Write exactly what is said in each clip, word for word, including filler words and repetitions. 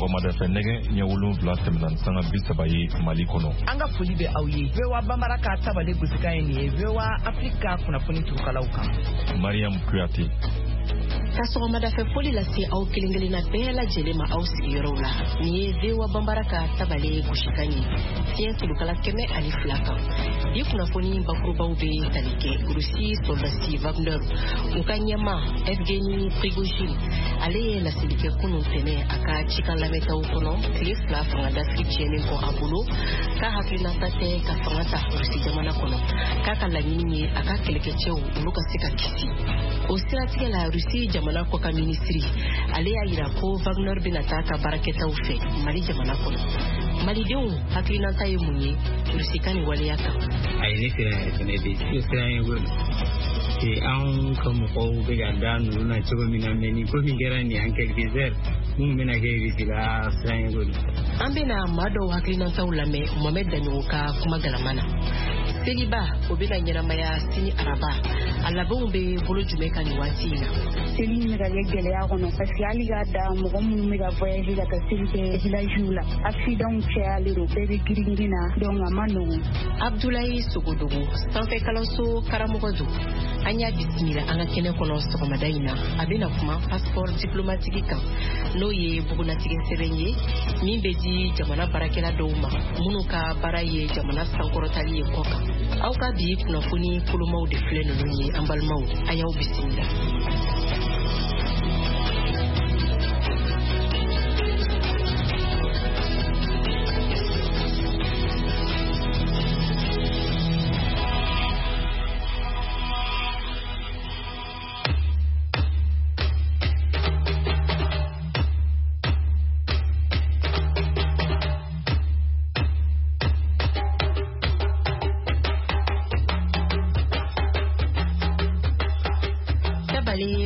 Sɔgɔmada fɛ nɛgɛ ɲɛ wolonwula tɛmɛna ni sanga bi saba ye Mali kɔnɔ. An ka foli bɛ aw ye. V O A Bambara ka tabale gosikan ye nin ye V O A Afrique ka kunnafoni turukalaw kan. Mariam Kuyate. Ka sɔgɔmada fɛ foli lase aw kelen kelenna bɛɛ lajɛlen ma aw sigiyɔrɔw la. Nin ye V O A Bambara ka tabale gosikan ye fiɲɛ tulukala kɛmɛ ani fila kan. Bi kunnafoni bakurubaw bɛ tali kɛ Rusi sɔrɔdasi Wagner u ka ɲɛmaa Evgeny Prigojine ale ye laseli kɛ kunun tɛnɛ a ka cikan lamɛntaw kɔnɔ tile fila fanga dafiri tiɲɛnen kɔ a bolo k'a hakilinata tɛ ka fanga ta Rusi jamana kɔnɔ k'a ka laɲini ye a ka kɛlɛkɛcɛw olu ka se ka kisi. O siratigɛ la Rusi jamana kɔkan minisiri ale y'a yira ko Wagner bɛna taa ka baarakɛtaw fɛ Mali jamana kɔnɔ. Malidenw hakilinata ye mun ye Rusi ka nin waleya kan? A ye ne siran yɛrɛ fɛnɛ de siran ye ko anw ka mɔgɔw bɛ ka da ninnu na cogo min na mɛ nin ko min kɛra nin en quelques heures mun bɛna kɛ Rusi la siran ye ko An bɛna maa dɔw hakilinataw lamɛn Mohamed Daɲogo ka kuma galama na. Seliba o bɛna ɲɛnamaya sini araba a labɛnw bɛ bolo jumɛn kan nin waati in na? Seli in bɛ ka kɛ gɛlɛya kɔnɔ parce que hali k'a da mɔgɔ minnu bɛ ka voyage ka taa seli kɛ villagew la accident cayalen don bɛɛ bɛ girin-girin na donc a ma nɔgɔn. Abdoulaye Sogodogo sanfɛ kalanso karamɔgɔ don an y'a bisimila an ka kɛnɛ kɔnɔ sɔgɔmada in na a bɛna kuma passeport diplomatique kan n'o ye bugunnatigɛ sɛbɛn ye min bɛ di jamana baarakɛla dɔw ma minnu ka baara ye jamana sankɔrɔtali ye kɔ kan. Aw ka bi kunnafoni kolomaw de filɛ ninnu ye an balimaw a y'aw bisimila.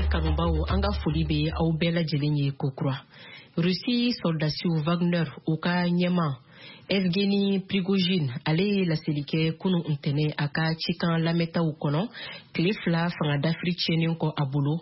Kanubaw an ka foli bɛ aw bɛɛ lajɛlen ye kokura. Rusi sɔrɔdasiw Wagner u ka ɲɛmaa Evgeny Prigojine ale ye laseli kɛ kunun ntɛnɛn a ka cikan lamɛntaw kɔnɔ tile fila fanga dafiri tiɲɛnen kɔ a bolo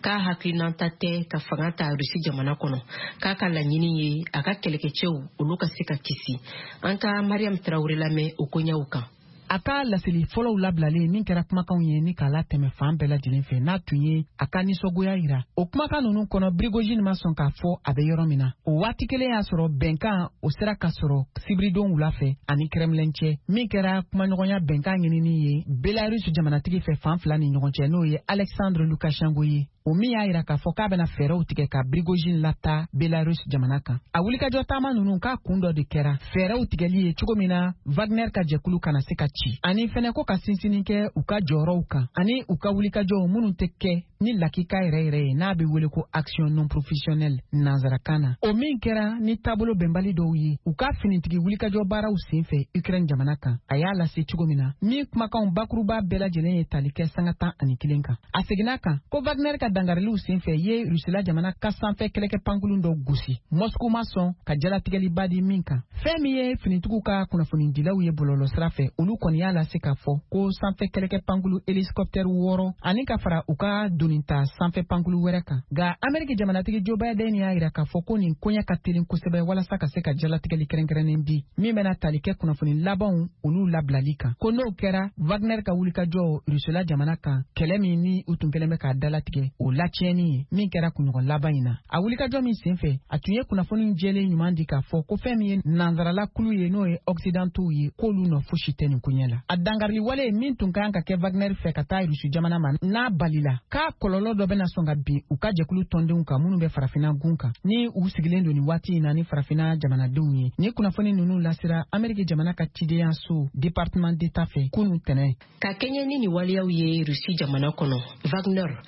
k'a hakilinata tɛ ka fanga ta Rusi jamana kɔnɔ k'a ka laɲini ye a ka kɛlɛkɛcɛw olu ka se ka kisi. An ka Mariam Traoré lamɛn o koɲɛw kan. A ka laseli fɔlɔw labilalen min kɛra kumakanw ye ni k'a latɛmɛ fan bɛɛ lajɛlen fɛ n'a tun ye a ka nisɔngoya yira o kumakan ninnu kɔnɔ Prigojine ma sɔn k'a fɔ a bɛ yɔrɔ min na o waati kelen y'a sɔrɔ bɛnkan o sera ka sɔrɔ sibiridon wula fɛ ani Kremlin cɛ min kɛra kumaɲɔgɔnya bɛnkan ɲinini ye Belarus jamanatigi fɛ fan fila ni ɲɔgɔn cɛ n'o ye Alexandre Lukashenko ye o min y'a yira k'a fɔ k'a bɛna fɛɛrɛw tigɛ ka Prigojine lata Belarus jamana kan. A wulikajɔ taama ninnu k'a kun dɔ de kɛra fɛɛrɛw tigɛli ye cogo min na Wagner ka jɛkulu kana se ka ci ani fɛnɛ ko ka sinsinni kɛ u ka jɔyɔrɔw kan ani u ka wulikajɔw minnu tɛ kɛ ni lakika yɛrɛ yɛrɛ ye n'a bɛ wele ko action non professionnelle nanzarakan na o min kɛra ni taabolo bɛnbali dɔw ye u ka finitigi wulikajɔ baaraw senfɛ Ukraine jamana kan a y'a lase cogo min na min kumakanw bakuruba bɛɛ lajɛlen ye tali kɛ sanga tan ani kelen kan. A seginna kan ko Wagner ka dangariliw senfɛ ye Rusila jamana ka sanfɛ kɛlɛkɛ pankurun dɔ gosi Moscou ma sɔn ka jalatigɛliba di min kan. Fɛn min ye finitigiw ka kunnafonidilaw ye bɔlɔlɔsira fɛ olu kɔni y'a lase k'a fɔ ko sanfɛ kɛlɛkɛ pankulu hélicoptère wɔɔrɔ ani ka fara u ka donita sanfɛ pankulu wɛrɛ kan. Nka Ameriki jamanatigi Joe Biden y'a yira k'a fɔ ko nin koɲɛ ka teli kosɛbɛ walasa ka se ka jalatigɛli kɛrɛnkɛrɛnnen di min bɛna tali kɛ kunnafoni labanw olu labilali kan ko n'o kɛra Wagner ka wulikajɔ Rusila jamana kan kɛlɛ min ni u tun kɛlen bɛ k'a dalatigɛ o latiɲɛni ye min kɛra kunɲɔgɔn laban in na. A wulikajɔ min senfɛ a tun ye kunnafoni jɛlen ɲuman di k'a fɔ ko fɛn min ye nanzarala kulu ye n'o ye Occidentaux ye k'olu nɔ fosi tɛ nin koɲɛ la. A dangarili wale min tun kan ka kɛ Wagner fɛ ka taa Rusi jamana ma n'a balila k'a kɔlɔlɔ dɔ bɛna sɔn ka bin u ka jɛkulu tɔndenw kan minnu bɛ farafinna gun kan ni u sigilen don nin waati in na ni farafinna jamanadenw ye. Ni kunnafoni ninnu lasera Ameriki jamana ka cidenyaso département d'État fɛ kunun tɛnɛn. Ka kɛɲɛ ni nin waleyaw ye Rusi jamana kɔnɔ Wagner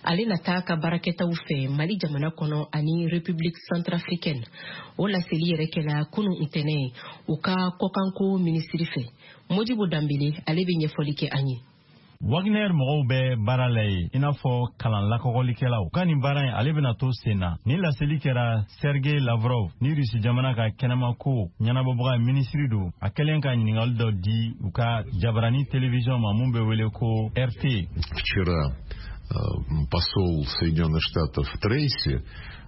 ale na taa ka baarakɛtaw fɛ Mali jamana kɔnɔ ani République centrafricaine o laseli yɛrɛ kɛla kunun ntɛnɛn u ka kɔkanko minisiri fɛ. Modibo Danbele ale bɛ ɲɛfɔli kɛ an ye. Wagner mɔgɔw bɛ baara la ye i n'a fɔ kalan lakɔgɔlikɛlaw ka nin baara in ale bɛna to sen na. Ni laseli kɛra Sergei Lavrov ni Rusi jamana ka kɛnɛmako ɲɛnabɔbaga minisiri don, a kɛlen ka ɲininkali dɔ di u ka jabarani télévision ma mun bɛ wele ko R T. Вчера посол Соединенных Штатов Трейси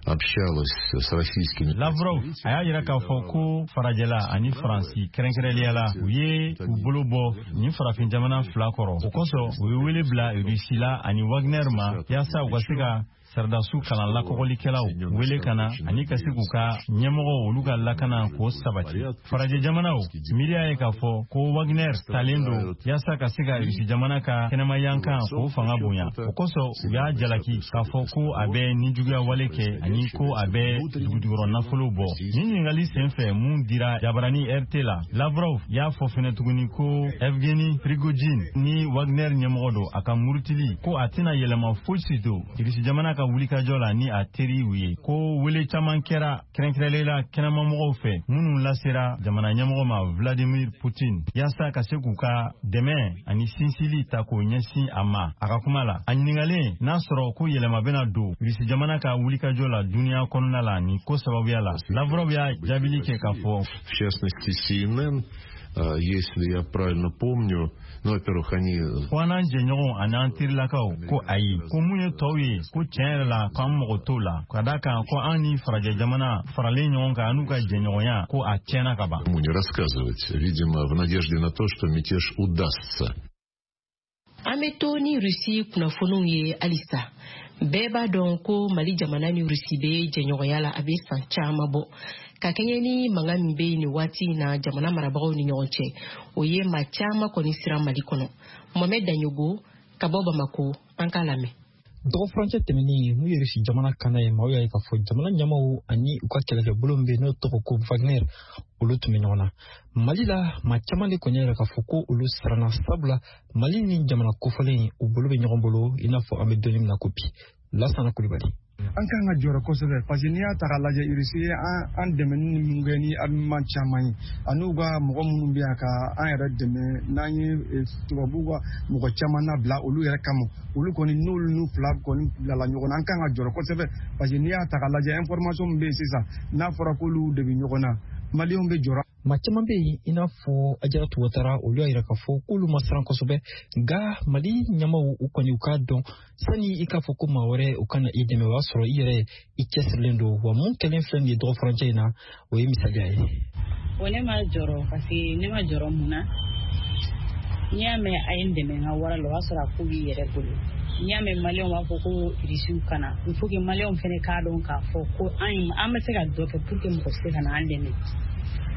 общалась с российскими... Lavrov a y'a yira k'a fɔ ko farajɛla ani Faransi kɛrɛnkɛrɛnnenya la, u ye u bolo bɔ nin farafin jamana fila kɔrɔ. O kosɔn, u ye wele bila Russie la ani Wagner ma, yaasa u ka se ka sɔrɔdasiw kalan lakɔgɔlikɛlaw wele ka na ani ka se k'u ka ɲɛmɔgɔw, olu ka lakana k'o sabati. Farajɛ jamanaw miiriya ye k'a fɔ ko Wagner talen don yaasa ka se ka Rusi jamana ka kɛnɛmayankan k'o fanga bonya. O kosɔn, u y'a jalaki k'a fɔ ko a bɛ nijuguya wale kɛ ani ko a bɛ dugujukɔrɔ nafolo bɔ. Nin ɲininkali senfɛ mun dira jabarani R T la, Lavrov y'a fɔ fɛnɛ tuguni ko Evgeny Prigojine ni Wagner ɲɛmɔgɔ don, a ka murutili ko a tɛna yɛlɛma fosi don Rusi jamana ka wulikajɔ la ni a teriw ye, ko wele caman kɛra, kɛrɛnkɛrɛnlen la kɛnɛmamɔgɔw fɛ, minnu lasera jamana ɲɛmɔgɔ ma Vladimir Putin, yaasa ka se k'u ka dɛmɛ ani sinsili ta k'o ɲɛsin a ma. A ka kuma la, a ɲiningalen n'a sɔrɔ ko yɛlɛma bɛna don Rusi jamana ka wulikajɔ la duniɲa kɔnɔna la nin ko sababuya la, Lavrov y'a jaabili kɛ k'a fɔ: В частности, C N N, если я правильно помню, ну, во-первых, они... Ko an n'an jɛɲɔgɔnw ani an terilakaw ko ayi, ko mun ye tɔw ye, ko tiɲɛ yɛrɛ la k'an mago t'o la, ka da kan ko an ni farajɛ jamana faralen ɲɔgɔn kan, an n'u ka jɛɲɔgɔnya, ko a tiɲɛna ka ban. Не рассказывать, видимо, в надежде на то, что мятеж удастся. An bɛ to ni Rusi kunnafoniw ye halisa. Bɛɛ b'a dɔn ko Mali jamana ni Rusi bɛ jɛɲɔgɔnya la, a bɛ san caman bɔ. Ka kɛɲɛ ni mankan min bɛ yen nin waati in na jamana marabagaw ni ɲɔgɔn cɛ, o ye maa caman kɔni siran Mali kɔnɔ. Mohamɛd Daɲogo ka bɔ Bamako, an k'a lamɛn. Dɔgɔ furancɛ tɛmɛnen, n'u ye Rusi jamana kana ye, maaw y'a ye k'a fɔ jamana ɲɛmaw ani u ka kɛlɛkɛbolo min bɛ yen n'o tɔgɔ ko Wagner, olu tun bɛ ɲɔgɔn na Mali la. Maa caman de kɔni y'a yira k'a fɔ ko olu siranna, sabula Mali ni jamana kofɔlen u bolo bɛ ɲɔgɔn bolo, i n'a fɔ an bɛ don min na ko bi. Lasana Kulibali. An kan ka jɔrɔ kosɛbɛ, parce que n'i y'a ta k'a lajɛ, Irisi ye an dɛmɛ ni min kɛ ni armement caman ye, ani ka mɔgɔ minnu bɛ yan ka an yɛrɛ dɛmɛ, n'an ye tubabuw ka mɔgɔ caman nabila olu yɛrɛ kama, olu kɔni n'olu n'u fila kɔni bilala ɲɔgɔn na, an kan ka jɔrɔ kosɛbɛ, parce que n'i y'a ta k'a lajɛ, information min bɛ yen sisan, n'a fɔra k'olu de bɛ ɲɔgɔn na, Maliyɛnw bɛ jɔrɔ. Maa caman bɛ yen, i n'a fɔ Ajaratu Watara, olu y'a yira k'a fɔ k'olu ma siran kosɛbɛ, nka Mali ɲɛmaw, u kɔni u k'a dɔn, sani i k'a fɔ ko maa wɛrɛ u kana i dɛmɛ, o y'a sɔrɔ i yɛrɛ i cɛsirilen don. Wa mun kɛlen filɛ nin ye dɔgɔ furancɛ in na, o ye misaliya ye. Wa ne ma jɔrɔ, parce que ne ma jɔrɔ mun na? N'i y'a mɛn a ye n dɛmɛ n ka wara la, o y'a sɔrɔ a ko b'i yɛrɛ bolo. N'i y'a mɛn Maliyɛnw b'a fɔ ko Irisiw kana, il faut que Maliyɛnw fɛnɛ k'a dɔn k'a fɔ ko an an bɛ se ka dɔ kɛ pour que mɔgɔ se ka na an dɛmɛ.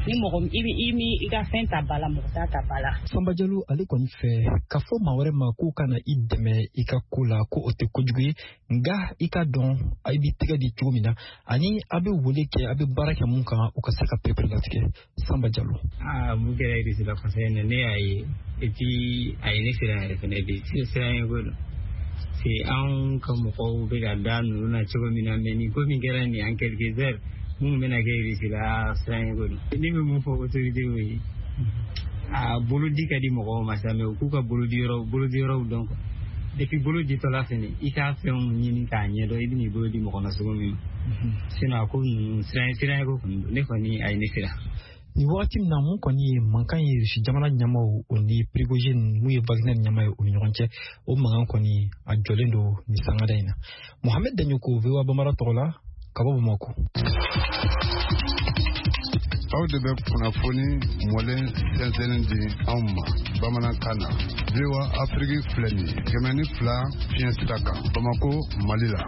Ni mɔgɔ i bɛ i mi i ka fɛn ta ba la, mɔgɔ t'a ta ba la. Sanba Jalo, ale kɔni fɛ k'a fɔ maa wɛrɛ ma k'o kana i dɛmɛ i ka ko la, ko o tɛ kojugu ye, nka i ka dɔn i b'i tɛgɛ di cogo min na ani a bɛ wele kɛ, a bɛ baara kɛ mun kan, o ka se ka perepere latigɛ. Sanba Jalo. Aa, mun kɛra Irisi la kɔsɛbɛ in na, ne y'a ye, et puis a ye ne siran yɛrɛ fɛnɛ bi siran ye ko don. C'est anw ka mɔgɔw bɛ ka da ninnu na cogo min na, mais nin ko min kɛra nin en quelques heures, minnu bɛna kɛ Irisi la, siran ye ko don. Ne bɛ mun fɔ autorité ye? A bolo di ka di mɔgɔw ma sa, mais u k'u ka bolodi yɔrɔ bolodi yɔrɔw dɔn quoi. Et puis bolo ditɔla fɛnɛ, i k'a fɛnw ɲini k'a ɲɛdɔn, i bɛn'i bolo di mɔgɔ ma cogo min ma. Sinon a ko ninnu, siran siran ye ko kɔni don, ne kɔni a ye ne siran. Nin wagati min na, mun kɔni ye mankan ye Rusi jamana ɲɛmaw o ni Prigojine, mun ye Wagner ɲɛma ye, o ni ɲɔgɔn cɛ, o mankan kɔni a jɔlen don nin sangada in na. Mohamed Daɲoko, V O A Bambara tɔgɔ la ka bɔ Bamako. Aw de bɛ kunnafoni mɔlen sɛnsɛnnen di anw ma bamanankan na. V O A Afiriki filɛ nin ye, kɛmɛ ni fila fiɲɛ sira kan, Bamako, Mali la.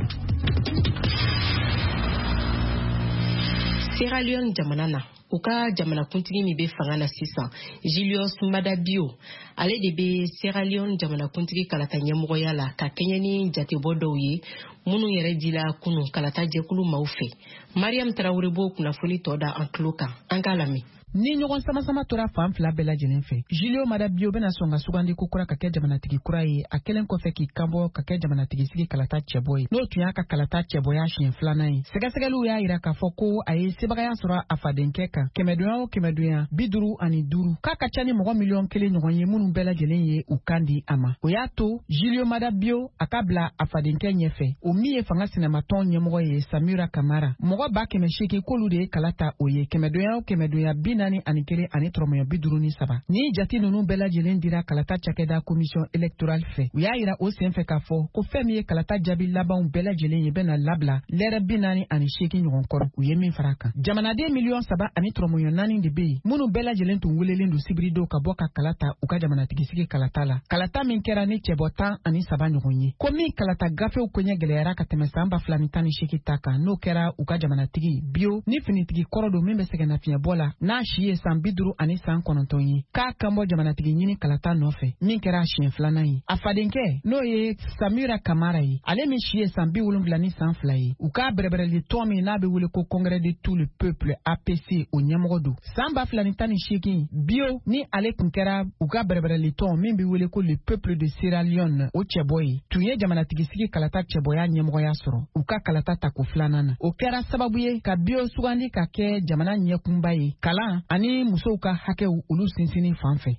Sierra Leone jamana na, u ka jamanakuntigi min bɛ fanga na sisan, Julius Maada Bio, ale de bɛ Sierra Leone jamanakuntigi kalata ɲɛmɔgɔya la, ka kɛɲɛ ni jatebɔ dɔw ye minnu yɛrɛ dila kunun kalata jɛkulu maaw fɛ. Mariam Tarawele b'o kunnafoni tɔ da an tulo kan, an k'a lamɛn. Ni ɲɔgɔn sama-sama tora fan fila bɛɛ lajɛlen fɛ, Julio Maada Bio bɛna sɔn ka sugandi ko kura ka kɛ jamanatigi kura ye, a kɛlen kɔfɛ k'i kanbɔ ka kɛ jamanatigi sigi kalata cɛbɔ ye, n'o tun y'a ka kalata cɛbɔya siɲɛ filanan ye. Sɛgɛsɛgɛliw y'a yira k'a fɔ ko a ye sebagaya sɔrɔ a fadenkɛ kan kɛmɛdonya o kɛmɛdonya bi duuru ani duuru, k'a ka ca ni mɔgɔ miliyɔn kelen ɲɔgɔn ye minnu bɛɛ lajɛlen ye u kan di a ma. O y'a to Julio Maada Bio a ka bila a fadenkɛ ɲɛfɛ, o min ye fanga sinamatɔn ɲɛmɔgɔ ye Samira Kamara, mɔgɔ ba kɛmɛ seegin k'olu de ye kala ta o ye kɛmɛdonya o kɛmɛdonya bi naani ani kelen ani tɔrɔmɔɲɔ bi duuru ni saba. Ni jate ninnu bɛɛ lajɛlen dira kalata cakɛda commission électorale fɛ. U y'a yira o senfɛ k'a fɔ ko fɛn min ye kalata jaabi labanw bɛɛ lajɛlen ye bɛna labila lɛrɛ bi naani ani seegin ɲɔgɔn kɔrɔ, u ye min fara kan. Jamanaden miliyɔn saba ani tɔrɔmɔɲɔ naani de bɛ yen minnu bɛɛ lajɛlen tun welelen don sibiridon ka bɔ ka kala ta u ka jamanatigisigi kalata la. Kalata min kɛra ni cɛbɔ tan ani saba ɲɔgɔn ye. Ko min kalata gafew koɲɛ gɛlɛyara ka tɛmɛ san ba fila ni tan ni seegin ta kan, n'o kɛra u ka jamanatigi Bio ni finitigi kɔrɔ don min bɛ sɛgɛnnafiɲɛbɔ la n'a si ye san bi duuru ani san kɔnɔntɔn ye, k'a kan bɔ jamanatigi ɲini kalata nɔfɛ min kɛra siɲɛ filanan ye. A fadenkɛ n'o ye Samira Kamara ye, ale min si ye san bi wolonwula ni san fila ye, u k'a bɛrɛbɛrɛli tɔn min n'a bɛ wele ko Congrès de tout le peuple A P C o ɲɛmɔgɔ don. San ba fila ni tan ni seegin Bio ni ale tun kɛra u ka bɛrɛbɛrɛli tɔn min bɛ wele ko le peuple de Sierra Leone o cɛbɔ ye, tun ye jamanatigisigi kalata cɛbɔya ɲɛmɔgɔya sɔrɔ u ka kalata tako filanan na. O kɛra sababu ye ka Bio sugandi ka kɛ jamana ɲɛkunba ye kalan ani musow ka hakɛw olu sinsinni fan fɛ.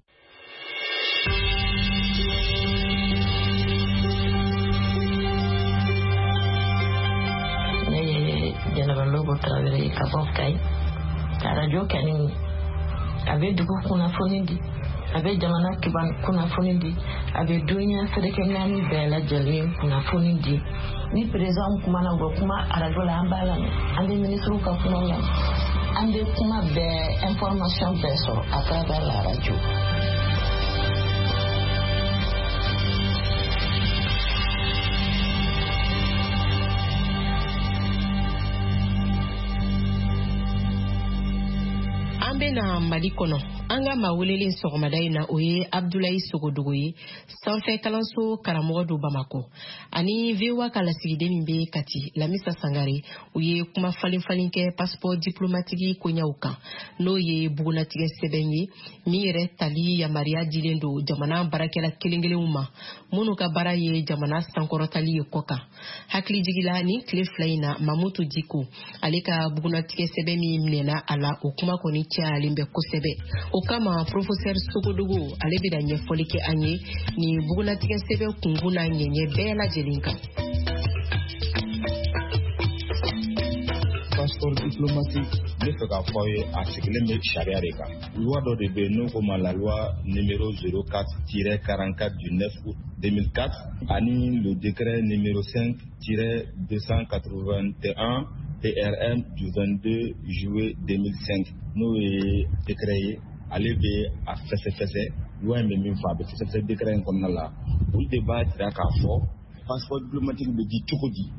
Ne ye Jɛnɛba Lobo Tarawele ye ka bɔ Kayi. Arajo kɛni a bɛ dugu kunnafoni di, a bɛ jamana kunnafoni di, a bɛ dunuya seleke naani bɛɛ lajɛlen kunnafoni di. Ni président kumana, u bɛ kuma arajo la, an b'a lamɛn, an bɛ minisiriw ka kuma lamɛn, an bɛ kuma bɛɛ information bɛɛ sɔrɔ à travers la radio. An bɛna Mali kɔnɔ. An ka maa welelen sɔgɔmada in na, o ye Abdulayi Sogodogo ye, sanfɛ kalanso karamɔgɔ don Bamakɔ, ani V O A ka lasigiden min bɛ Kati, Lamisa Sangare, u ye kuma falen falen kɛ passeport diplomatique koɲɛw kan, n'o ye bugunnatigɛ sɛbɛn ye min yɛrɛ tali yamaruya dilen don jamana baarakɛla kelen kelenw ma minnu ka baara ye jamana sankɔrɔtali ye kɔ kan. Hakilijigi la, nin tile fila in na, Mamutu Diko ale ka bugunnatigɛ sɛbɛn min minɛna a la, o kuma kɔni cayalen bɛ kosɛbɛ. O kama professeur Sogodogo ale bɛna ɲɛfɔli kɛ an ye nin bugunnatigɛ sɛbɛn kunkun n'a ɲɛɲɛ bɛɛ lajɛlen kan. Passeport diplomatique, n bɛ fɛ k'a fɔ aw ye, a sigilen bɛ sariya de kan. Loi dɔ de bɛ yen n'o ko ma la loi numéro zéro quatre tiret quarante-quatre du neuf août deux mille quatre ani le décret numéro cinq tiret deux cent quatre-vingt-un P R M du vingt-deux juillet deux mille cinq, n'o ye décret ye, ale bɛ a fɛsɛfɛsɛ. Loi in bɛ min fɔ, a bɛ fɛsɛfɛsɛ décret in kɔnɔna la. Olu de b'a jira k'a fɔ passeport diplomatique bɛ di cogo di,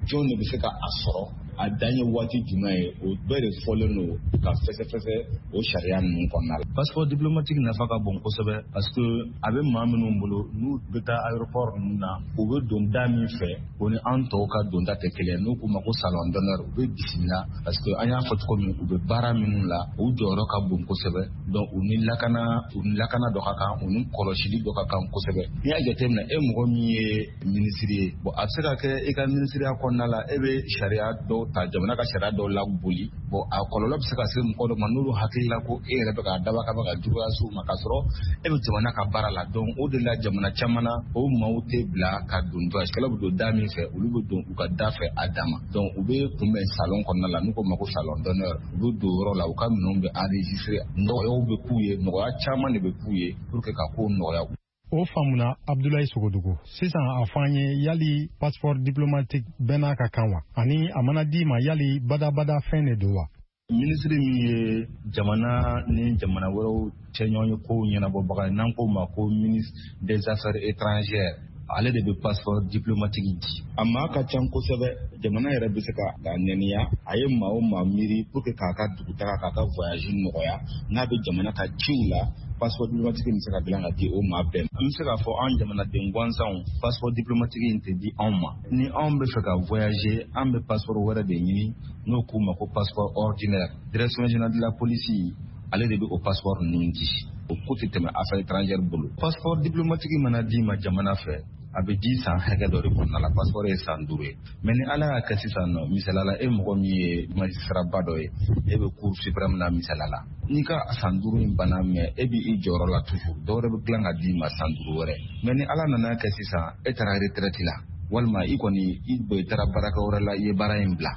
jɔn de bɛ se ka a sɔrɔ, a dan ye waati jumɛn ye, o bɛɛ de fɔlen don ka fɛsɛfɛsɛ o sariya ninnu kɔnɔna la. Passeport diplomatique nafa ka bon kosɛbɛ parce que a bɛ maa minnu bolo n'u bɛ taa aéroport ninnu na, u bɛ don da min fɛ, o ni an tɔw ka donda tɛ kelen ye. N'u k'u ma ko salon d'honneur, u bɛ bisimila parce que an y'a fɔ cogo min, u bɛ baara minnu la, u jɔyɔrɔ ka bon kosɛbɛ. Donc u ni lakana u ni lakana dɔ ka kan, u ni kɔlɔsili dɔ ka kan kosɛbɛ. N'i y'a jateminɛ, e mɔgɔ min ye minisiri ye, bon a bɛ se ka kɛ e ka minisiriya kɔnɔna la, e bɛ sariya dɔw ta, jamana ka sariya dɔw laboli. Bon a kɔlɔlɔ bɛ se ka se mɔgɔ dɔ ma n'olu hakili la ko e yɛrɛ bɛ k'a dabɔ kama ka juguya s'u ma, k'a sɔrɔ e bɛ jamana ka baara la. Donc o de la jamana caman na, o maaw tɛ bila ka don voyagekɛlaw bɛ don da min fɛ, olu bɛ don u ka da fɛ a dan ma. Donc u bɛ kunbɛn salon kɔnɔna la, n'u ko ma ko salon d'honneur, u bɛ don yɔrɔ la, u ka minɛnw bɛ enregistrer, nɔgɔyaw bɛ k'u ye, nɔgɔya caman de bɛ k'u ye pour que ka kow nɔgɔya. O faamuna Abdulayi Sogodogo. Sisan a fɔ an ye, yali passeport diplomatique bɛɛ n'a ka kan wa? Ani a mana d'i ma, yali badabada fɛn de don wa? Minisiri min ye jamana ni jamana wɛrɛw cɛ ɲɔgɔn ye kow ɲɛnabɔbaga ye, n'an k'o ma ko ministre des affaires étrangères, ale de bɛ passeport diplomatique di. A maa ka ca kosɛbɛ, jamana yɛrɛ bɛ se ka a nɛniya, a ye maa o maa miiri pour que k'a ka dugutaga, k'a ka voyage nɔgɔya, n'a bɛ jamana ka ciw la, passeport diplomatique bɛ se ka dilan ka di o maa bɛɛ ma. An bɛ se k'a fɔ an jamanaden gansanw, passeport diplomatique in tɛ di anw ma. Ni anw bɛ fɛ ka voyager, an bɛ passeport wɛrɛ de ɲini, n'o k'u ma ko passeport ordinaire. Direction générale de la police, ale de bɛ o passeport ninnu di. O ko tɛ tɛmɛ affaires étrangères bolo. Passeport diplomatique mana d'i ma jamana fɛ, a bɛ di san hakɛ dɔ de kɔnɔna la, passeport ye san duuru ye. Mais ni Ala y'a kɛ sisan nɔ, misaliya la, e mɔgɔ min ye magistrat ba dɔ ye, e bɛ cour suprême na misaliya la, n'i ka san duuru in banna, mais e b'i jɔyɔrɔ la toujours, dɔwɛrɛ bɛ dilan ka d'i ma san duuru wɛrɛ. Mais ni Ala nana kɛ sisan, e taara retraite la, Walima i kɔni i taara baarakɛ wɛrɛ la, i ye baara in bila.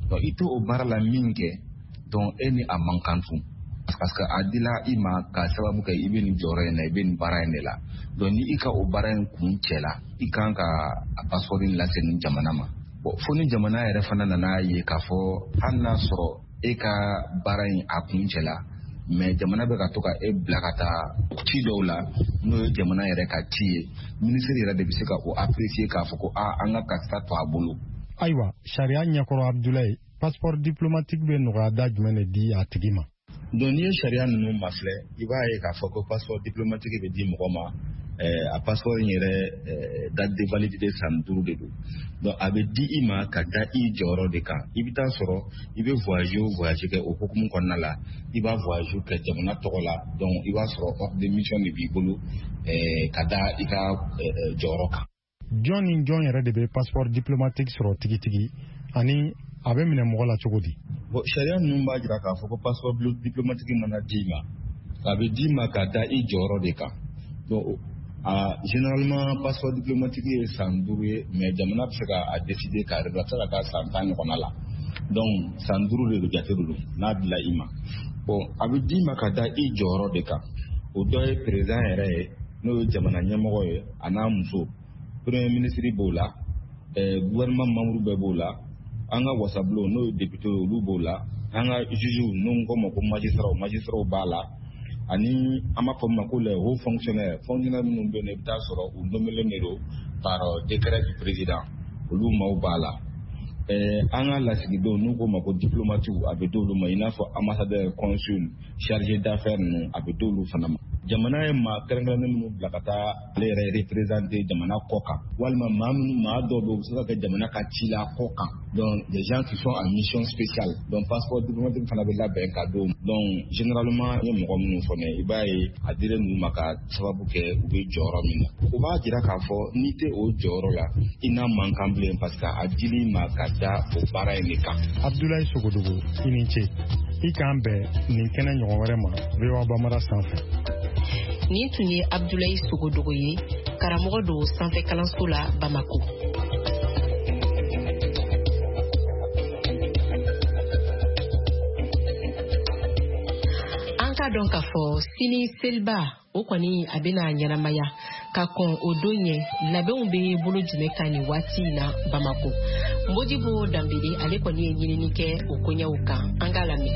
Donc i to o baara la min kɛ, donc e ni a man kan tun. Parce que a dila i ma ka sababu kɛ i bɛ nin jɔyɔrɔ in na, i bɛ nin baara in de la. Donc ni i ka o baara in kun cɛ la, i kan ka a passeport in lase nin jamana ma. Bon, fo ni jamana yɛrɛ fana nana ye k'a fɔ hali n'a sɔrɔ e ka baara in a kun cɛ la, mais jamana bɛ ka to ka e bila ka taa ci dɔw la, n'o ye jamana yɛrɛ ka ci ye, ministre yɛrɛ de bɛ se ka o apprécier k'a fɔ ko aa an ka karisa to a bolo. Ayiwa, sariya ɲɛkɔrɔ Abdoulaye, passeport diplomatique bɛ nɔgɔya da jumɛn de di a tigi ma? Donc n'i ye sariya ninnu mafilɛ, i b'a ye k'a fɔ ko passeport diplomatique bɛ di mɔgɔ ma, a passeport in yɛrɛ date de validité san duuru de don. Donc a bɛ di i ma ka da i jɔyɔrɔ de kan. I bɛ taa sɔrɔ i bɛ voyage o voyage kɛ o hukumu kɔnɔna la, i b'a voyage kɛ jamana tɔgɔ la, donc i b'a sɔrɔ ordre de mission de b'i bolo ka da i ka jɔyɔrɔ kan. Jɔn ni jɔn yɛrɛ de bɛ passeport diplomatique sɔrɔ tigitigi, ani a bɛ minɛ mɔgɔ la cogo di? Bon, sariya ninnu b'a jira k'a fɔ ko passeport diplomatique mana d'i ma, a bɛ d'i ma ka da i jɔyɔrɔ de kan. Donc a généralement passeport diplomatique ye san duuru ye, mais jamana bɛ se ka a décider k'a réduire, a bɛ se ka taa san tan ɲɔgɔnna la. Donc san duuru de don, jate de don n'a dila i ma. Bon, a bɛ d'i ma ka da i jɔyɔrɔ de kan. O dɔ ye président yɛrɛ ye, n'o ye jamana ɲɛmɔgɔ ye, a n'a muso, premier ministre b'o la, gouvernement membre bɛɛ b'o la, an ka wasabulon n'o ye député ye olu b'o la, an ka juge n'o ko ma ko magistrat, magistrat b'a la, ani an b'a fɔ min ma ko les hauts fonctionnaires, fonctionnaires minnu bɛ yen, i bɛ taa sɔrɔ u nommelen de don par décret du président, olu maaw b'a la. An ka lasigidenw n'u ko ma ko diplomatiw, a bɛ d'olu ma, i n'a fɔ ambassadeur, consul, chargé d'affaires ninnu, a bɛ d'olu fana ma. Jamana ye maa kɛrɛnkɛrɛnnen minnu bila ka taa ale yɛrɛ représenter jamana kɔ kan, walima maa minnu maa dɔw bɛ yen u bɛ se ka kɛ jamana ka ci la kɔ kan, donc des gens qui sont en mission spéciale. Donc passeport diplomatique fana bɛ labɛn ka d'o ma. Donc généralement n ye mɔgɔ minnu fɔ ne, i b'a ye a dilen ninnu ma ka sababu kɛ u bɛ jɔyɔrɔ min na. O b'a jira k'a fɔ n'i tɛ o jɔyɔrɔ la, i n'a man kan bilen, parce que a dil'i ma ka da o baara in de kan. Abdoulaye Sogodogo, i ni ce. I k'an bɛn nin kɛnɛ ɲɔgɔn wɛrɛ ma V O A Bambara sanfɛ. Nin tun ye Abdoulaye Sogodogo ye, karamɔgɔ don sanfɛ kalanso la Bamako. An k'a dɔn k'a fɔ sini seliba o kɔni a bɛna ɲɛnamaya. Ka kɔn o don ɲɛ, labɛnw bɛ bolo jumɛn kan nin waati in na Bamako? Modibo Danbele ale kɔni ye ɲinini kɛ o koɲɛw kan, an k'a lamɛn.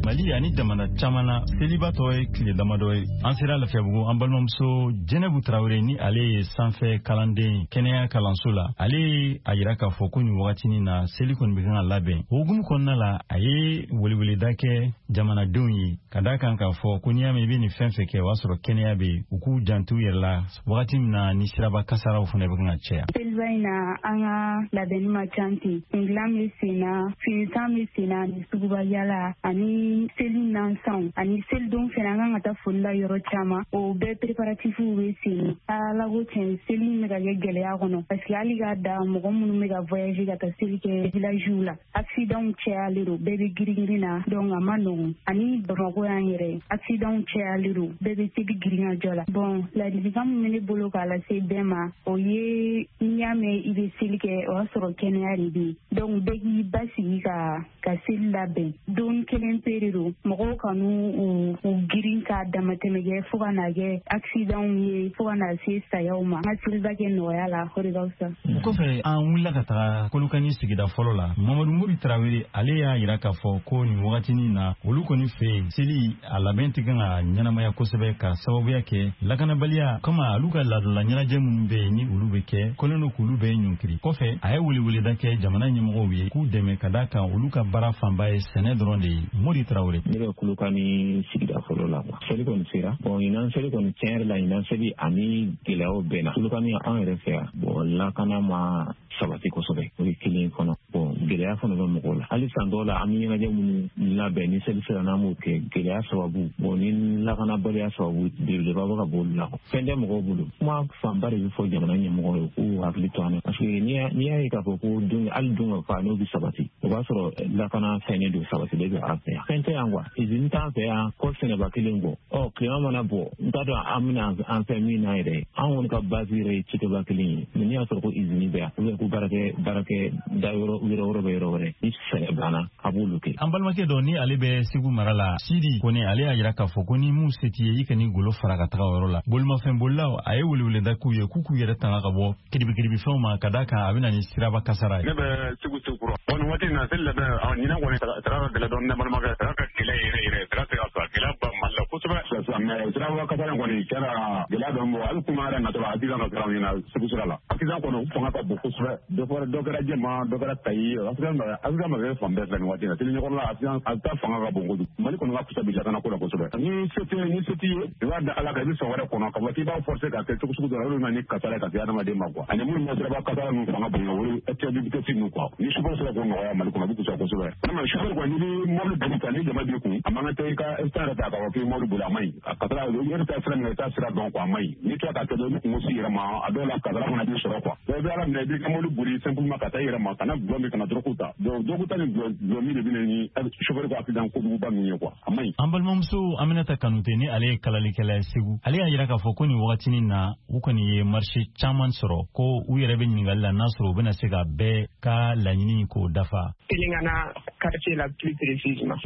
Mali ani jamana caman na, seliba tɔ ye tile damadɔ ye. An sera Lafiyabugu, an balimamuso Jɛnɛbu Tarawele, ni ale ye sanfɛ kalanden kɛnɛya kalanso la, ale ye a yira k'a fɔ ko nin wagatinin na seli kɔni bɛ kan ka labɛn. O hukumu kɔnɔna la, a ye weleweleda kɛ jamanadenw ye ka d'a kan k'a fɔ ko n'i y'a mɛn i bɛ nin fɛn fɛn kɛ, o y'a sɔrɔ kɛnɛya bɛ yen, u k'u janto u yɛrɛ la wagati min na ni siraba kasaraw fana bɛ kan ka caya. Seliba in na, an ka labɛnni ma ca ten. Kundilan bɛ sen na, finisan bɛ sen na, ani suguba yala, ani seli nansanw, ani selidon fɛnɛ an kan ka taa foli la yɔrɔ caman. O bɛɛ préparatifs bɛ sen. Ala ko tiɲɛ, seli in bɛ ka kɛ gɛlɛya kɔnɔ, parce que hali k'a da mɔgɔ minnu bɛ ka voyager ka taa seli kɛ villagew la, accidentw cayalen don, bɛɛ bɛ girin-girin na, donc a ma nɔgɔn. Ani Bamakɔ yan yɛrɛ, accidentw cayalen don, bɛɛ bɛ seli girin-ka jɔ la. Bon, ladilikan min bɛ ne bolo k'a lase bɛɛ ma, o ye n'i y'a mɛn i bɛ seli kɛ, o y'a sɔrɔ kɛnɛya de bɛ yen. Donc bɛɛ k'i basigi ka ka seli labɛn. Don kelen pe de don, mɔgɔw kanu u u girin k'a damatɛmɛ kɛ fo ka n'a kɛ accidentw ye, fo ka n'a se sayaw ma. An ka seliba kɛ nɔgɔya la, o de ka fisa. O kɔfɛ, an wulila ka taga Kolokani sigida fɔlɔ la. Mamadu Mori Tarawele ale y'a yira k'a fɔ ko nin wagatinin na, olu kɔni fɛ yen seli a labɛn tɛ kan ka ɲɛnamaya kosɛbɛ, ka sababuya kɛ lakanabaliya kama. Olu ka laadala ɲɛnajɛ minnu bɛ yen ni olu bɛ kɛ, kɔlen don k'olu bɛɛ ɲɔnkiri. Kɔfɛ, a ye weleweleda kɛ jamana ɲɛmɔgɔw ye k'u dɛmɛ ka d'a kan olu ka baara fanba ye sɛnɛ dɔrɔn de ye. Mori Tarawele. Ne bɛ Kolokani sigida fɔlɔ la. Seli kɔni sera. Bon, ɲinan seli kɔni tiɲɛ yɛrɛ la, ɲinan seli ani gɛlɛyaw bɛnna. Kolokani an yɛrɛ fɛ yan, bon, lakana ma sabati kosɛbɛ, o ye kelen kɔnɔ. Bon, gɛlɛya fana bɛ mɔgɔw la. Hali san dɔw la, an bɛ ɲɛnajɛ minnu labɛn ni seli sera n'an b'o kɛ, gɛlɛya sababu, bon, ni lakanabaliya sababu belebeleba bɛ ka bɔ olu la. Fɛn tɛ mɔgɔw bolo. Kuma fanba de bɛ fɔ jamana ɲɛmɔgɔw ye k'u hakili to an na. Parce que n'i y'a ye k'a fɔ ko don, hali don ka fa n'o bɛ sabati, O b'a sɔrɔ lakana fɛnnen don, sabatilen don an fɛ yan. Fɛn tɛ yan quoi, izini t'an fɛ yan, kɔɔri sɛnɛba kelen kɔ. Ɔ tilema mana bɔ, n t'a dɔn an bɛna an fɛ min na yɛrɛ. An kɔni ka base yɛrɛ ye cikɛba kelen ye. Mais n'i y'a sɔrɔ ko izini bɛ yan, ou bien ko baarakɛ baarakɛ da yɔrɔ yɔrɔ wɛrɛ bɛ yɔrɔ wɛrɛ, ni sɛnɛ banna a b'olu kɛ. An balimakɛ dɔ ni ale bɛ Segu mara la, Sidi Kone, ale y'a yira k'a fɔ ko ni mun se t'i ye, i kan'i golo fara ka taga o yɔrɔ la. Bolimafɛn bolilaw, a ye weleweleda k'u ye k'u k'u yɛrɛ tanga ka bɔ kiribikiribifɛnw ma, ka d'a kan a bɛ na ni siraba kasara ye. Ne bɛ Segu Sekura. Bon, nin waati in na, seli labɛn, ɲinan kɔni sira ka gɛlɛn dɔɔnin, ne balimakɛ, sira ka gɛlɛn yɛrɛ yɛrɛ, sira tɛ ka sɔrɔ, gɛlɛya ba Mali la kosɛbɛ. Mais siraba kasara in kɔni kɛra gɛlɛya dɔn bɔ, hali kuma yɛrɛ natɔ la, accident ka sira ɲɛna Segu sira la. Accident kɔni fanga ka bon kosɛbɛ. Dɔ fɔra, dɔ kɛra Jɛma, dɔ kɛra Kayi, accident accident ma kɛ fan bɛɛ fɛ nin waati in na. Seli ɲɛkɔrɔla accident a ta fanga ka bon kojugu. Mali kɔni ka fisa bi lakana ko la kosɛbɛ. Ni se tɛ ni se t'i ye, i b'a da Ala kan, i bɛ sɔn wɛrɛ kɔnɔ ka fɔ k'i b'a forcer ka kɛ cogo sugu dɔ la, olu bɛ na ni kasara ye ka se adamaden ma quoi. Ani minnu bɛ siraba kasara ninnu fanga bonya, olu excès de vitesse ninnu quoi. Ni chauffeur sera k'o nɔgɔya Mali kɔnɔ, a bɛ fisaya kosɛbɛ. Vraiment chauffeur kɔni, n'i bɛ mobili boli ta, ni jama b'i kun, a man kan tɛ i ka instant yɛrɛ ta k'a fɔ k'i bɛ mobili boli, a man ɲi. A kasara, i yɛrɛ taa sira min na, i t'a sira dɔn quoi, a man ɲi. N'i tora k'a kɛ dɔrɔn, i bɛ kungo s'i yɛrɛ ma, a dɔw la kasara fana b'i sɔrɔ quoi. Donc i bɛ Ala minɛ, i b'i ka mobili boli simplement ka taa i yɛrɛ ma, kana gulɔ min, kana drogue ta. Donc drogue ta ni gulɔ min de bɛ na ni chauffeur ka accident kojuguba ninnu ye quoi, a man ɲi. An balimamuso Aminata Kanute, ni ale ye kalalikɛla ye Segu, ale y'a yira k'a fɔ ko nin wagatinin na, u kɔni ye marché caman sɔrɔ, ko u yɛrɛ bɛ ɲininkali la n'a sɔrɔ u bɛna se ka bɛɛ ka laɲini k'o dafa. Pelengana quartier la plus précisément.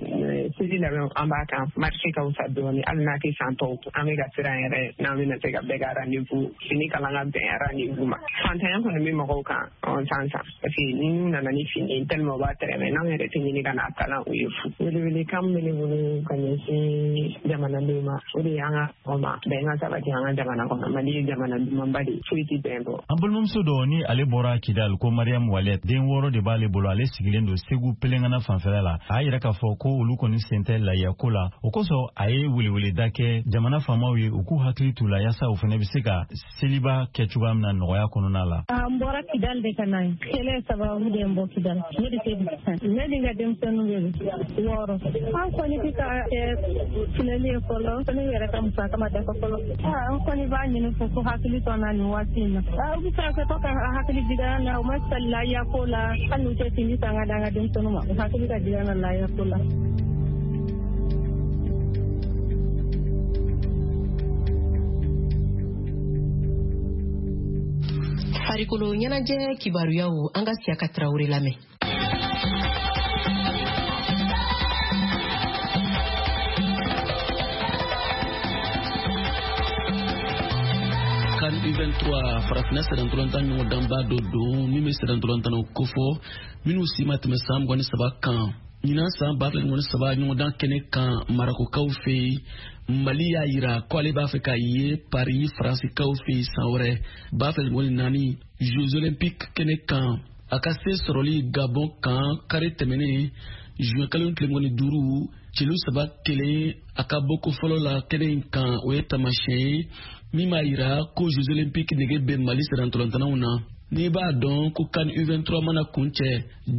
Seli labɛn an b'a kan, marché ka wusa dɔɔni, hali n'a tɛ san tɔw, an bɛ ka siran yɛrɛ n'an bɛna se ka bɛɛ ka rendez-vous fini kalan ka bɛn rendez-vous ma. Fantanya kɔni bɛ mɔgɔw kan san san, parce que n'u nana ni fini tellement u b'a tɛrɛmɛ, n'anw yɛrɛ tɛ ɲini ka n'a kalan, o ye fu. Welewelekan min bɛ ne bolo ka ɲɛsin jamanadenw ma, o de y'an ka mɔgɔ ma bɛn ka sabati an ka jamana kɔnɔ. Mali ye jamana dumanba de ye, foyi tɛ bɛn bɔ. An balimamuso dɔ ni ale bɔra Kidal, ko Mariam Walet, den wɔɔrɔ de b'ale bolo, ale sigilen don Segu Pelengana fanfɛla la. A y'a yira k'a fɔ ko olu kɔni sen tɛ layiya ko la, o kosɔn a ye weleweleda kɛ jamana faamaw ye, u k'u hakili t'u la yaasa u fana bɛ se ka seliba kɛ cogoya min na nɔgɔya kɔnɔna la. An bɔra Kidal de ka na ye, kɛlɛ sababu de n bɔ Kidal. Ne de tɛ ne ni n ka denmisɛnninw de wɔɔrɔ. An kɔni bɛ ka kɛ filɛli ye fɔlɔ, ne yɛrɛ ka musaka ma dafa fɔlɔ. An kɔni b'a ɲini fo ko hakili to an na nin waati in na. U bɛ se ka to ka hakili jigin an na, u ma sali layiya ko la, hali n'u tɛ fini san ka d'an ka denmisɛnninw ma, u hakili ka jigin an na layiya ko la. Farikolo ɲɛnajɛ kibaruyaw, an ka Siyaka Tarawele lamɛn. CAN U vingt-trois farafinna sɛnɛntɔlɔntan ɲɔgɔndanba dɔ don min bɛ sɛnɛntɔlɔntannaw kofɔ minnu si ma tɛmɛ san mugan ni saba kan. Ɲinan san ba fila ni mugan ni saba ɲɔgɔndan kɛnɛ kan Marakokaw fɛ yen, Mali y'a yira ko ale b'a fɛ ka ye Paris Faransikaw fɛ yen san wɛrɛ ba fila ni mugan ni naani Jeux olympiques kɛnɛ kan. A ka se sɔrɔli Gabon kan kari tɛmɛnen juin kalo tile mugan ni duuru celu saba kelen a ka bɔko fɔlɔ la kɛnɛ in kan, o ye taamasiyɛn ye min b'a yira ko Jeux olympiques nege bɛ Mali sɛnɛntɔlɔntannaw na. N'i b'a dɔn ko CAN U vingt-trois mana kuncɛ,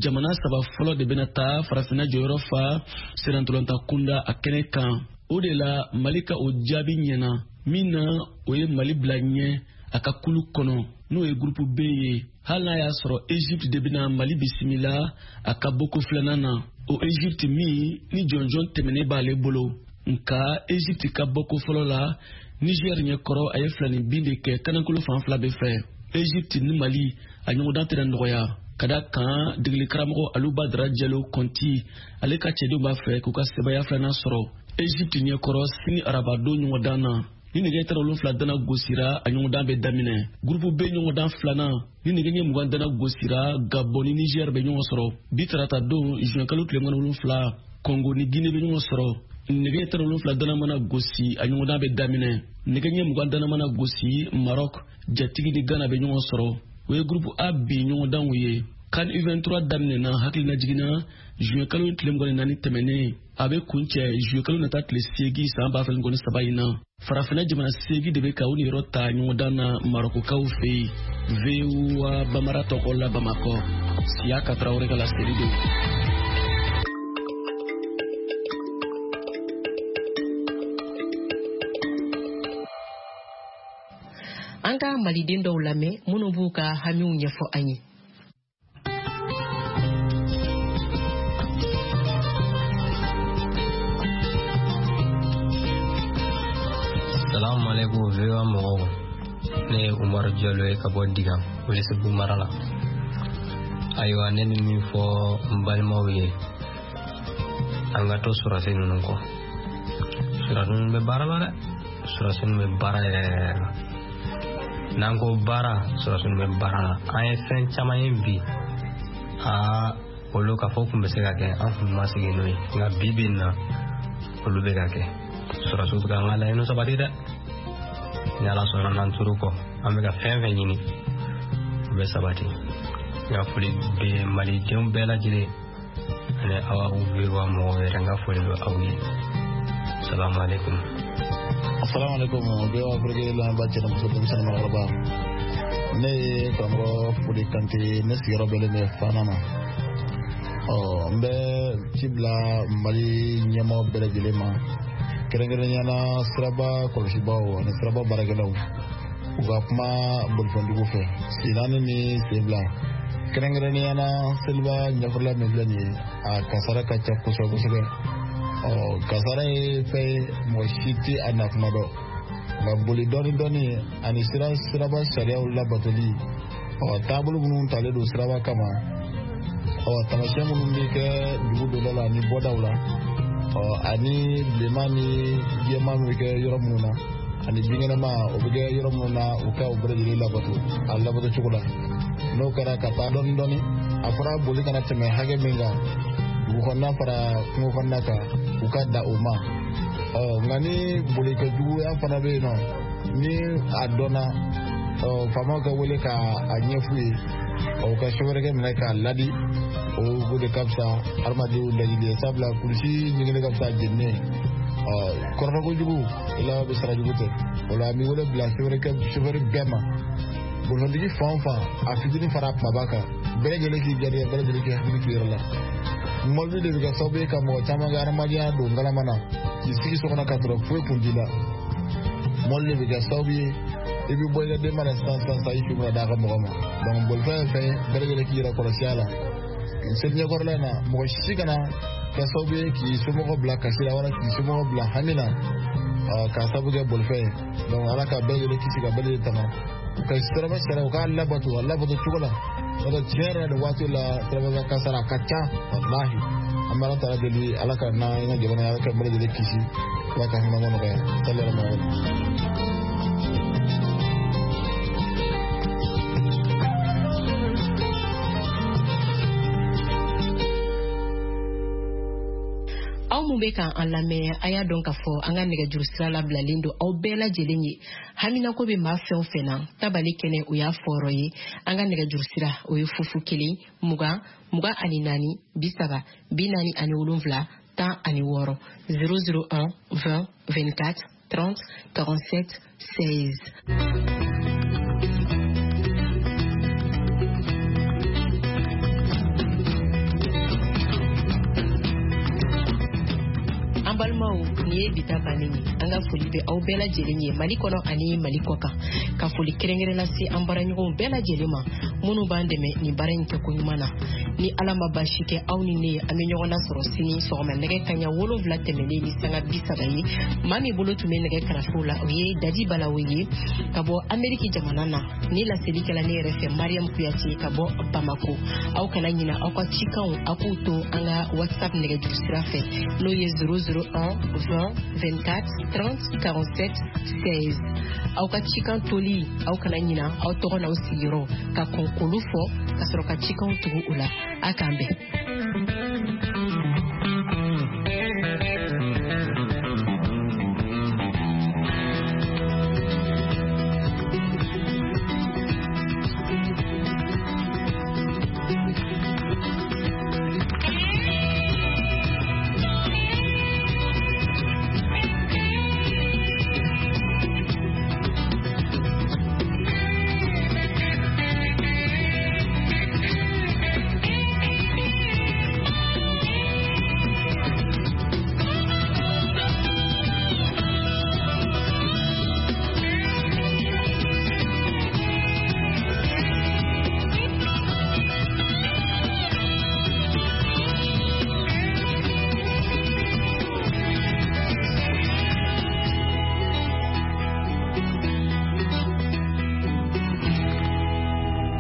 jamana saba fɔlɔ de bɛna taa farafinna jɔyɔrɔ fa sɛnɛntɔlɔntan kunda a kɛnɛ kan. O de la Mali ka o jaabi ɲɛna min na, o ye Mali bila ɲɛ a ka kulu kɔnɔ, n'o ye groupe B ye. Hali n'a y'a sɔrɔ Egypte de bɛna Mali bisimila a ka bɔko filanan na, o Egypte min ni jɔnjɔn tɛmɛnen b'ale bolo. Nka Egypte ka bɔko fɔlɔ la Niger ɲɛkɔrɔ, a ye filani bin de kɛ kanankolo fan fila bɛɛ fɛ. Egypte ni Mali a ɲɔgɔndan tɛna nɔgɔya, ka da kan degeli karamɔgɔ Aluba Dara Jalo Kɔnti ale ka cɛdenw b'a fɛ k'u ka sebaaya filanan sɔrɔ Egypte ɲɛkɔrɔ sini arabadon ɲɔgɔndan na. Ni nɛgɛ tan wolonfila dana gosira, a ɲɔgɔndan bɛ daminɛ. Groupe B ɲɔgɔndan filanan, ni nɛgɛ ɲɛ mugan dana gosira, Gabon ni Niger bɛ ɲɔgɔn sɔrɔ. Bi tarata don juin kalo tile mugan ni wolonfila, Congo ni Guinée bɛ ɲɔgɔn sɔrɔ. Nɛgɛ tan wolonfila dana mana gosi, a ɲɔgɔndan bɛ daminɛ. Nɛgɛ ɲɛ mugan dana mana gosi, Maroc jatigi ni Ghana bɛ ɲɔgɔn sɔrɔ. O ye groupe A bi ɲɔgɔndanw ye. CAN U vingt-trois daminɛna hakilina jiginna juin kalo tile mugan ni naani tɛmɛnen, a bɛ kuncɛ juin kalo nata tile seegin san ba fila ni mugan ni saba in na. Farafinna jamana seegin de bɛ ka u niyɔrɔ ta ɲɔgɔndan na Marokokaw fɛ yen. V O A Bamara tɔgɔ la Bamakɔ, Siyaka Tarawele ka laseli don. An ka maliden dɔw lamɛn minnu b'u ka hamiw ɲɛfɔ an ye. Salamu alaikum V O A mɔgɔw. Ne ye Umaru Jalo ye ka bɔ Digan, Welesebugu mara la. Ayiwa, ne bɛ min fɔ n balimaw ye, an ka to sɔrɔdasi ninnu kɔ. Sɔrɔdasi ninnu bɛ baara la dɛ. Sɔrɔdasi ninnu bɛ baara yɛrɛ yɛrɛ la. N'an ko baara, sɔrɔdasi ninnu bɛ baara la. An ye fɛn caman ye bi. Aa, olu ka fɔ kun bɛ se ka kɛ, an kun ma sigi n'o ye. Nka bi bi in na, olu bɛ ka kɛ. Sɔrɔdasiw bɛ ka an ka laɲiniw sabati dɛ. Ni Ala sɔnna n'an tor'u kɔ, an bɛ ka fɛn fɛn ɲini, o bɛ sabati. N ka foli bɛ malidenw bɛɛ lajɛlen ani aw V O A mɔgɔw yɛrɛ, n ka foli bɛ aw ye. Salamu alaikum. Assalamu alaikum V O A Afrique lamɛnbaa cɛ ni muso, denmisɛnnin maakɔrɔba. Ne ye karamɔgɔ Fode Kante, ne sigiyɔrɔ bɛnnen bɛ Fana ma. Ɔ n bɛ ci bila Mali ɲɛmaaw bɛɛ lajɛlen ma, kɛrɛnkɛrɛnnenya la siraba kɔlɔsibaw ani siraba baarakɛlaw, u ka kuma bolifɛntigiw fɛ sen naani ni sen fila, kɛrɛnkɛrɛnnenya la seliba ɲɛfɔla min filɛ nin ye, a kasara ka ca kosɛbɛ kosɛbɛ. Ɔ kasara ye fɛn ye, mɔgɔ si tɛ a na kuma dɔn, nka boli dɔɔni dɔɔni ani sira siraba sariyaw labatoli, ɔ taabolo minnu talen don siraba kama, ɔ taamasiyɛn minnu bɛ kɛ dugu donda la ani bɔdaw la, ɔ ani bilenman ni jɛman bɛ kɛ yɔrɔ minnu na, ani binkɛnɛma o bɛ kɛ yɔrɔ minnu na, u ka o bɛɛ lajɛlen labato a labato cogo la. N'o kɛra ka taa dɔɔni dɔɔni, a fɔra boli kana tɛmɛ hakɛ min kan dugu kɔnɔna fara kungo kɔnɔna kan, u ka da o ma. Ɔ nka ni bolikɛjuguya fana bɛ yen nɔ, ni a dɔnna, ɔ faamaw ka wele k'a ɲɛf'u ye, ɔ u ka sofɛrikɛ minɛ k'a ladi, o de ka fisa hadamadenw lajili ye, sabula kulisi ɲigini ka fisa jenini ye. Ɔ kɔrɔfɔ kojugu i laban bɛ sara jugu tɛ. O la an bɛ wele bila sofɛrikɛ sofɛri bɛɛ ma, bolifɛntigi fan o fan, a fitinin fara a kumaba kan, bɛɛ lajɛlen k'i garijɛgɛ, bɛɛ lajɛlen k'i hakili to i yɛrɛ la. Mɔbili de bɛ kɛ sababu ye ka mɔgɔ caman ka hadamadenya don galama na, k'i sigi so kɔnɔ ka sɔrɔ foyi kun t'i la. Mɔbili de bɛ kɛ sababu ye i bɛ bɔ i ka denba la sisan sisan sisan, i fi bɛna d'a ka mɔgɔ ma. Donc bolifɛn ye fɛn ye, bɛɛ lajɛlen k'i yɛrɛ kɔlɔsi a la. Seli ɲɛkɔrɔla in na, mɔgɔ si kana kɛ sababu ye k'i somɔgɔw bila kasi la wala k'i somɔgɔw bila hami na k'a sababu kɛ bolifɛn ye. Donc Ala ka bɛɛ lajɛlen kisi ka bɛɛ lajɛlen tanga. U ka siraba sariya, u k'a labato a labato cogo la. N'o tɛ tiɲɛ yɛrɛ nin waati la siraba kasara a ka ca, walahi. An bɛ Ala taala deli, Ala ka n'an ka jamana, Ala ka bɛɛ lajɛlen kisi, Ala ka hinɛ nɔgɔya. Sallallahu alaihi wa sallam. Aw mun bɛ k'an lamɛn, a y'a dɔn k'a fɔ an ka nɛgɛjuru sira labilalen don aw bɛɛ lajɛlen ye. Haminako bɛ maa fɛn o fɛn na, tabali kɛnɛ o y'a fɔyɔrɔ ye. An ka nɛgɛjuru sira o ye fufu kelen mugan mugan ani naani bi saba bi naani ani wolonwula tan ani wɔɔrɔ zéro zéro un vingt vingt-quatre trente quarante-sept seize. Balimaw, nin ye bi ta bannen ye. An ka foli bɛ aw bɛɛ lajɛlen ye Mali kɔnɔ ani Mali kɔ kan. Ka foli kɛrɛnkɛrɛn lase an baaraɲɔgɔnw bɛɛ lajɛlen ma minnu b'an dɛmɛ nin baara in kɛko ɲuman na. Ni Ala ma baasi kɛ aw ni ne ye, an bɛ ɲɔgɔn lasɔrɔ sini sɔgɔma nɛgɛ kanɲɛ wolonwula tɛmɛnen ni sanga bi saba ye. Maa min bolo tun bɛ nɛgɛ karafew la, o ye Dadi Balawe ye ka bɔ Ameriki jamana na. Ni laseli kɛla ne yɛrɛ fɛ, Mariam Kuyate ka bɔ Bamako. Aw kana ɲina aw ka cikanw, aw k'u to an ka WhatsApp nɛgɛjuru sira fɛ, n'o ye zéro zéro un vingt vingt-quatre trente quarante-sept seize. Aw ka cikan toli, aw kana ɲina aw tɔgɔ n'aw sigiyɔrɔ ka kɔn k'olu fɔ ka sɔrɔ ka cikanw tugu o la. A k'an bɛn.